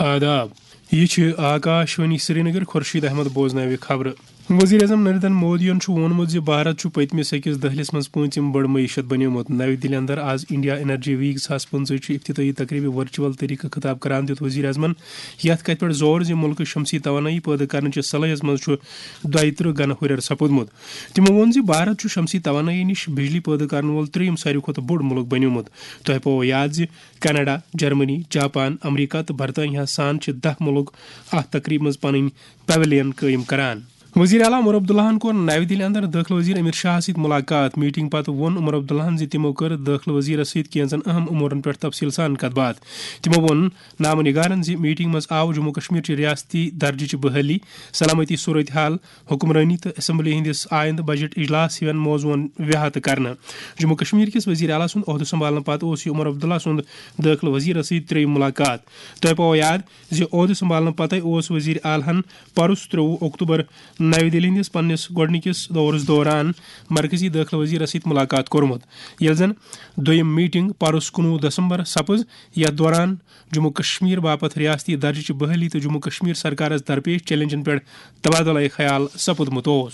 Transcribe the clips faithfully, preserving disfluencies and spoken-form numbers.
آداب۔ یہِ چھِ آکاشوانی سرینگر۔ خورشید احمد بوزناوِ خبرٕ۔ وزیر اعظم نریندر مودیَن چھُ ووٚنمُت زِ بھارت چھُ پٔتمِس أکِس دٔہلِس منٛز پوٗنٛژِم بٔڑ معیشت بنیومُت۔ نَوِ دِلہِ اندر آز انڈیا انرجی ویک زٕ ساس پٕنٛژٕہ چہِ افتتاحی تقریبہِ ورچوئل طریقہٕ خطاب کران دِیُت وزیر اعظمن یتھ کتھِ پٮ۪ٹھ زور زِ مُلکٕچ شمسی توانٲیی پٲدٕ کرنہٕ چہِ صلٲحیت منٛز چھُ دۄیہِ ترٕہ گنہٕ ہُرٮ۪ر سپُدمُت۔ تِمو ووٚن زِ بھارت چھُ شمسی توانٲیی نِش بجلی پٲدٕ کرن وول ترٛیٚیِم ساروی کھۄتہٕ بوٚڑ مُلک بنیومُت۔ تۄہہِ پوٚو یاد زِ کینیڈا، جرمنی، جاپان، امریکہ تہٕ برطانیہ سان چھِ دَہ مُلک اتھ تقریبہِ منٛز پنٕنۍ پویلین قٲیِم کران۔ وزیر اعلیٰ عمر عبداللہَن کوٚر نَوِ دِلہِ اندر دٲخلہٕ وزیر امت شاہَس سۭتۍ ملاقات۔ میٹنگ پتہٕ ووٚن عمر عبداللہَن زِ تِمو کٔر دٲخلہٕ وزیرَس سۭتۍ کینٛژن اہم امورن پٮ۪ٹھ تفصیل سان کتھ باتھ۔ تِمو ووٚن نامہ نگارن زِ میٹنگ منٛز آو جموں کشمیر چہِ ریاستی درجہٕ چہِ بحالی، سلامتی صورتحال، حکمرٲنی تہٕ اسمبلی ہٕنٛدِس آیندٕ بجٹ اجلاس ہِوٮ۪ن موضوعن ویہہ تہٕ کرنہٕ۔ جموں کشمیر کِس وزیر اعلیٰ سُنٛد عہدٕ سنبھالنہٕ پتہٕ اوس یہِ عمر عبداللہ سُنٛد دٲخلہٕ وزیرس سۭتۍ ترٛیٚیِم ملاقات۔ تۄہہِ پاوو یاد زِ عہدٕ سنبھالنہٕ پتے اوس وزیر اعلیٰ ہن پرُس ترٛوٚوُہ اکتوبر نَوِ دِلہِ ہٕنٛدِس پننِس گۄڈٕنِکِس دورس دوران مرکزی دٲخلہٕ وزیرس سۭتۍ ملاقات کوٚرمُت، ییٚلہِ زن دوٚیِم میٹنگ پرُس کُنوُہ دسمبر سپٕز، یتھ دوران جموں کشمیر باپتھ ریاستی درجہٕ چہِ بحالی تہٕ جموں کشمیر سرکارس درپیش چیلنجن پٮ۪ٹھ تبادلہ خیال سپُدمُت اوس۔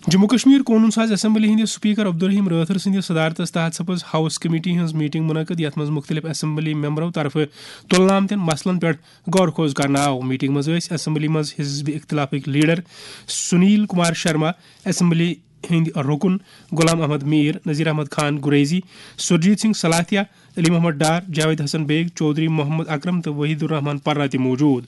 جموں کشمیر قونوٗن ساز اسمبلی ہٕنٛدِ سپیکر عبدالرحیم رٲتھر سٕنٛدِ صدارتس تحت سپٕز ہاوس کمیٹی ہٕنٛز میٹنگ منعقد، یتھ منٛز مُختٔلِف اسمبلی ممبرو طرفہٕ تُلنہٕ آمتٮ۪ن مسلن پٮ۪ٹھ غور خوض کرنہٕ آو۔ میٹنگ منٛز ٲسۍ اسمبلی منٛز حزب اختلافٕکۍ لیڈر سنیل کمار شرما، اسمبلی ہٕنٛدۍ رکن غلام احمد میر، نذیر احمد خان گریزی، سرجیت سنگھ سلاتیا، علی محمد ڈار، جاوید حسن بیگ، چودھری محمد اکرم تہٕ وحید الرحمان پرہ تہِ موجود۔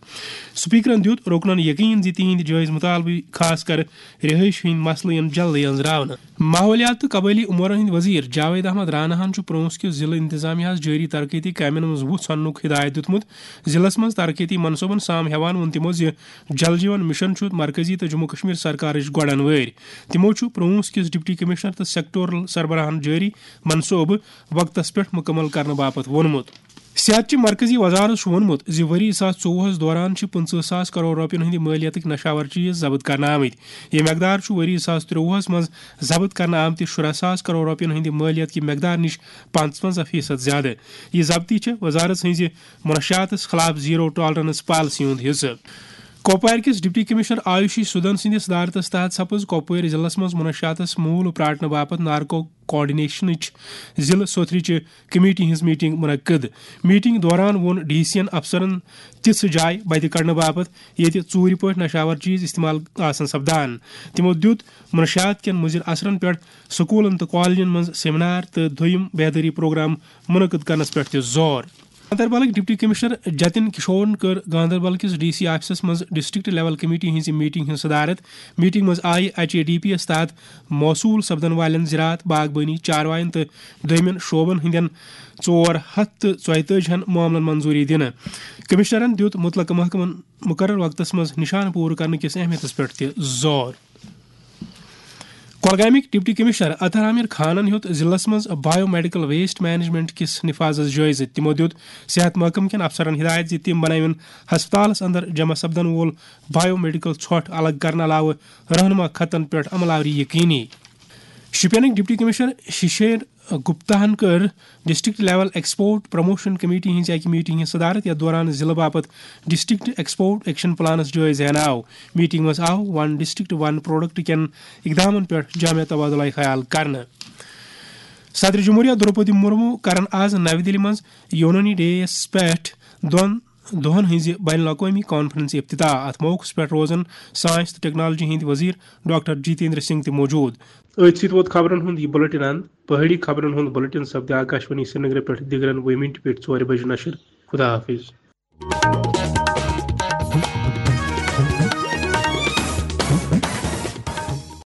سپیکرن دیُت رکنن یقین زِ تِہنٛدۍ جٲیز مطالبہٕ، خاص کر رہٲیش ہٕنٛدۍ مسلہٕ، یِن جلدی أنٛزراونہٕ۔ ماحولیات تہٕ قبٲیلی امورن ہٕنٛدۍ وزیر جاوید احمد راناہن چھُ پرونس کِس ضلعہٕ انتظامیہ ہس جٲری ترقیتی کامٮ۪ن منٛز وُژھ اننُک ہدایت دیُتمُت۔ ضلعس منٛز ترقیتی منصوبن سام ہٮ۪وان ووٚن تِمو زِ جل جیون مشن چھُ مرکزی تہٕ جموں کشمیر سرکارٕچ گۄڈن وٲرۍ۔ تِمو چھُ پرونس کِس ڈپٹی کمشنر تہٕ سیکٹورل سربراہن جٲری منصوبہٕ وقتس پٮ۪ٹھ مُکمل کرنہٕ باپتھ ووٚنمُت۔ صحت چہِ مرکزی وزارت چھُ ووٚنمُت زِ ؤری زٕ ساس ژوٚوُہس دوران چھِ پٕنٛژٕہ ساس کرور رۄپین ہٕنٛدۍ مٲلیتٕکۍ نشاور چیز ضبط کرنہٕ آمٕتۍ۔ یہِ مقدار چھُ ؤری زٕ ساس ترٛوٚوُہس منٛز ضبط کرنہٕ آمتہِ شُراہ ساس کرور رۄپین ہٕنٛدِ مٲلیت کہِ مقدار نِش پانٛژونٛزاہ فیصد زیادٕ۔ یہِ ضبطی چھےٚ وزارت ہٕنٛزِ منشیاتس خلاف زیرو ٹالرنس پالیسی ہُنٛد حصہٕ۔ کۄپوارِ کِس ڈپٹی کمشنر آیوشی سودھن سٕنٛدِس صدارتس تحت سپٕز کۄپوٲرۍ ضلعس منٛز منشیاتس موٗل پراٹنہٕ باپتھ نارکو کوآرڈینیشنٕچ ضلعہٕ سوتھرٕچہِ کمیٹی ہٕنٛز میٹنگ منعقد۔ میٹنگ دوران ووٚن ڈی سی ین افسرن تِژھ جاے بتہِ کڑنہٕ باپتھ ییٚتہِ ژوٗرِ پٲٹھۍ نشاور چیز استعمال آسن سپدان۔ تِمو دیُت منشیات کٮ۪ن مُضر اثرن پٮ۪ٹھ سکوٗلن تہٕ کالجن منٛز سیمینار تہٕ دوٚیِم بیدٲری پروگرام منعقد کرنس پٮ۪ٹھ تہِ زور۔ گاندربلٕکۍ ڈپٹی کمشنر جتن کشورن کٔر گاندربل کِس ڈی سی آفسس منٛز ڈسٹرکٹ لیول کمیٹی ہٕنٛزِ میٹنگ ہٕنٛز صدارت۔ میٹنگ منٛز آیہِ ایچ اے ڈی پی یس تحت موصول سپدن والٮ۪ن زراعت، باغبٲنی، چاروایَن تہٕ دوٚیمٮ۪ن شعبن ہٕنٛدٮ۪ن ژور ہتھ تہٕ ژۄیتٲجی ہن معاملن منظوٗری دِنہٕ۔ کمشنرن دیُت مُتلقہٕ محکمن مُقرر وقتس منٛز نِشانہٕ پوٗرٕ کرنہٕ کِس اہمیتس پٮ۪ٹھ تہِ زور۔ کۄلگامٕکۍ ڈپٹی کمشنر اطہر عامر خانن ہیوٚت ضلعس منٛز بایو میڈیکل ویسٹ مینجمنٹ کِس نفاذس جٲیزٕ۔ تِمو دیُت صحت محکمہٕ کٮ۪ن افسرن ہدایت زِ تِم بنٲوِن ہسپتالس اندر جمع سپدن وول بایو میڈیکل ژھۄٹھ الگ کرنہٕ علاوٕ رہنما خطن پٮ۪ٹھ عمل آوری یقینی۔ شوپینٕکۍ ڈپٹی کمشنر ششیر گپتاہن کٔر district level export promotion committee ہٕنٛزِ اکہِ میٹنگ ہٕنٛز صدارت، یتھ دوران ضلعہٕ باپتھ ڈسٹرکٹ ایکسپورٹ ایکشن پلانس جٲیزٕ ہینہٕ آو۔ میٹنگ منٛز آو ون ڈسٹرکٹ ون پروڈکٹ کٮ۪ن اقدامن پٮ۪ٹھ جامع تبادلہ خیال کرنہٕ۔ صدر جمہوریہ درپدی مرمو کرن آز نَوِ دِلہِ منٛز یونانی ڈے یس پٮ۪ٹھ دۄن دۄہن ہٕنٛزِ بین الاقوٲمی کانفرنسہِ افتتاح۔ اتھ موقعس پٮ۪ٹھ روزن ساینس تہٕ ٹیکنالوجی ہٕنٛدۍ وزیر ڈاکٹر جتیندر سنگھ تہِ موجود۔ أتھۍ سۭتۍ ووت خبرن ہُنٛد یہِ بلیٹن اند۔ پہٲڑی خبرن ہُنٛد بلیٹن سپدِ آکاشوانی سرینگرٕ پٮ۪ٹھ دِگرن وُہہِ مِنٹہِ پٮ۪ٹھ ژورِ بجہِ نشر۔ خدا حافظ۔